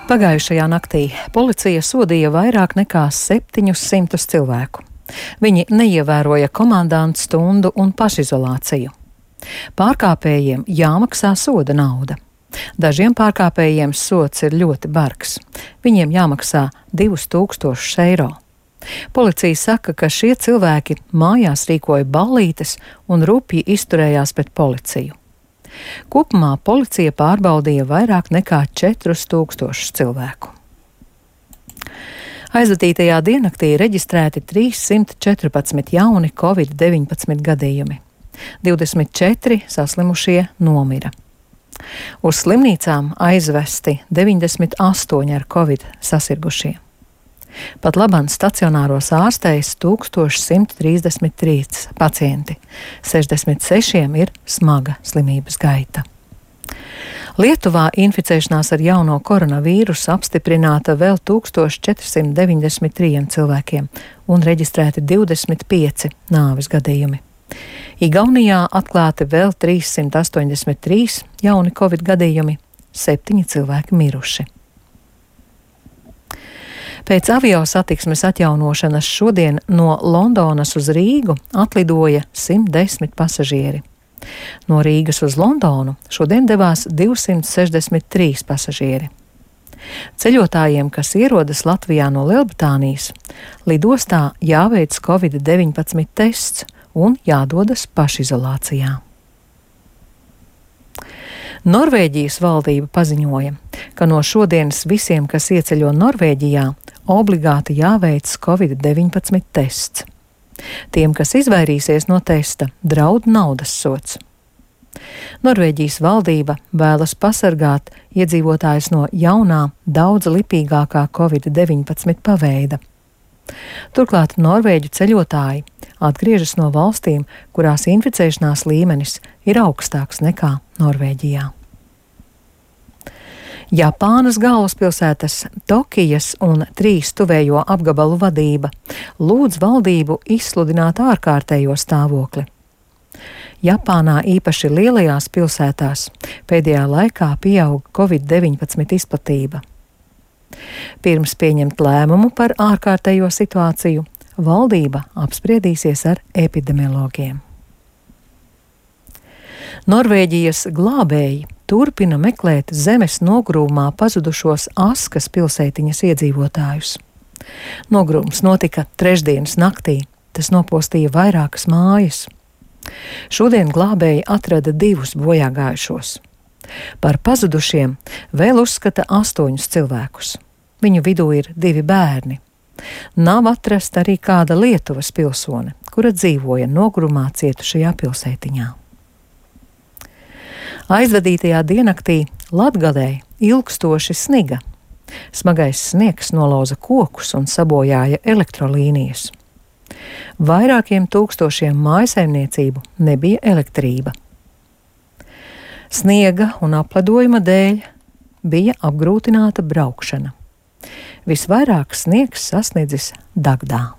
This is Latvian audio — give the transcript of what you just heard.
Pagājušajā naktī policija sodīja vairāk nekā 700 cilvēku. Viņi neievēroja komandantu stundu un pašizolāciju. Pārkāpējiem jāmaksā soda nauda. Dažiem pārkāpējiem sods ir ļoti bargs. Viņiem jāmaksā 2000 eiro. Policija saka, ka šie cilvēki mājās rīkoja ballītes un rupji izturējās pret policiju. Kopumā policija pārbaudīja vairāk nekā 4000 cilvēku. Aizvadītajā diennaktī reģistrēti 314 jauni Covid-19 gadījumi. 24 saslimušie nomira. Uz slimnīcām aizvesti 98 ar Covid sasirgušie. Pat labāk stacionāros ārstējas 1133 pacienti, 66 ir smaga slimības gaita. Lietuvā inficēšanās ar jauno koronavīrusu apstiprināta vēl 1493 cilvēkiem un reģistrēti 25 nāves gadījumi. Igaunijā atklāti vēl 383 jauni Covid gadījumi, 7 cilvēki miruši. Pēc avio satiksmes atjaunošanas šodien no Londonas uz Rīgu atlidoja 110 pasažieri. No Rīgas uz Londonu šodien devās 263 pasažieri. Ceļotājiem, kas ierodas Latvijā no Lielbritānijas, lidostā jāveic Covid-19 tests un jādodas pašizolācijā. Norvēģijas valdība paziņoja, ka no šodienas visiem, kas ieceļo Norvēģijā, obligāti jāveic Covid-19 tests. Tiem, kas izvairīsies no testa, draud naudas sods. Norvēģijas valdība vēlas pasargāt iedzīvotājus no jaunā, daudz lipīgākā Covid-19 paveida. Turklāt norvēģu ceļotāji atgriežas no valstīm, kurās inficēšanās līmenis ir augstāks nekā Norvēģijā. Japānas galvaspilsētas Tokijas un 3 tuvējo apgabalu vadība lūdz valdību izsludināt ārkārtējo stāvokli. Japānā īpaši lielajās pilsētās pēdējā laikā pieaug Covid-19 izplatība. Pirms pieņemt lēmumu par ārkārtējo situāciju, valdība apspriedīsies ar epidemiologiem. Norvēģijas glābēji turpina meklēt zemes nogrūmā pazudušos Askas pilsētiņas iedzīvotājus. Nogrūms notika trešdienas naktī, tas nopostīja vairākas mājas. Šodien glābēji atrada 2 bojāgājušos. Par pazudušiem vēl uzskata 8 cilvēkus. Viņu vidū ir 2 bērni. Nav atrasta arī kāda Lietuvas pilsone, kura dzīvoja nogrumā cietušajā pilsētiņā. Aizvadītajā diennaktī Latgalē ilgstoši sniga. Smagais sniegs nolauza kokus un sabojāja elektrolīnijas. Vairākiem tūkstošiem mājsaimniecību nebija elektrība. Sniega un apledojuma dēļ bija apgrūtināta braukšana. Visvairāk sniegs sasniedzis Dagdā.